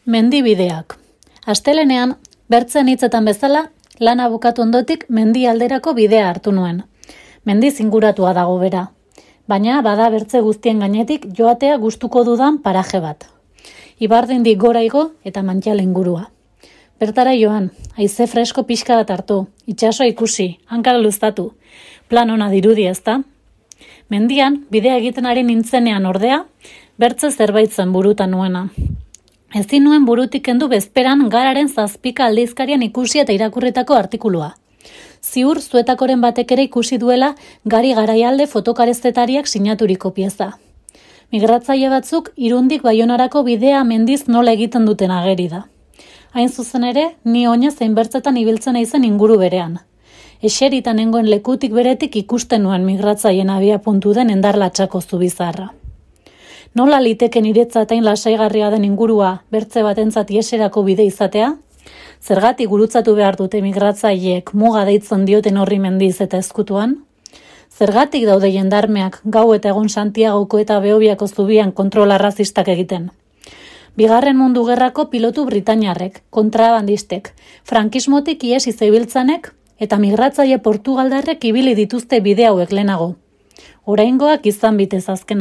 Mendibideak. Astelenean, bertzen hitzetan bezala, lana bukatu ondotik mendi alderako bidea hartu nuen. Mendiz inguratua dago bera. Baina bada bertze guztien gainetik joatea gustuko dudan paraje bat. Ibardindik gora igo eta Mantxal ingurua. Bertara joan, haize fresko pixka bat hartu, itsasoa ikusi, hankak luztatu. Plan ona dirudi ezta? Mendian, bidea egiten ari nintzenean ordea, bertze zerbait zen burutan nuena. Ezin nuen burutik kendu bezperan Gararen 7 aldizkarian ikusi eta irakurritako artikulua. Ziur zuetakoren batek ere ikusi duela Gari Garaialde fotokarezetariak sinaturiko pieza. Migratzaile batzuk Irundik Baionarako bidea mendiz nola egiten duten ageri da. Hain zuzen ere, ni oinez zein ibiltzen naizen inguru berean. Eserita nengoen lekutik beretik ikusten nuen migratzaileen abiapuntu den endarlatxako zubizarra. Nola liteke niretzat hain lasaigarria den ingurua bertze batentzat ieserako bide izatea? Zergatik gurutzatu behar dute migratzaileek muga deitzen dioten horri mendiz eta ezkutuan? Zergatik daude jendarmeak gau eta egun Santiagoko eta Behobiako zubian kontrol arrazistak egiten? Bigarren Mundu Gerrako pilotu britainiarrek, kontrabandistek, frankismotik ihes izebiltzanek eta migratzaile portugaldarrek ibili dituzte bide hauek lehenago. Oraingoak izan bitez azkena.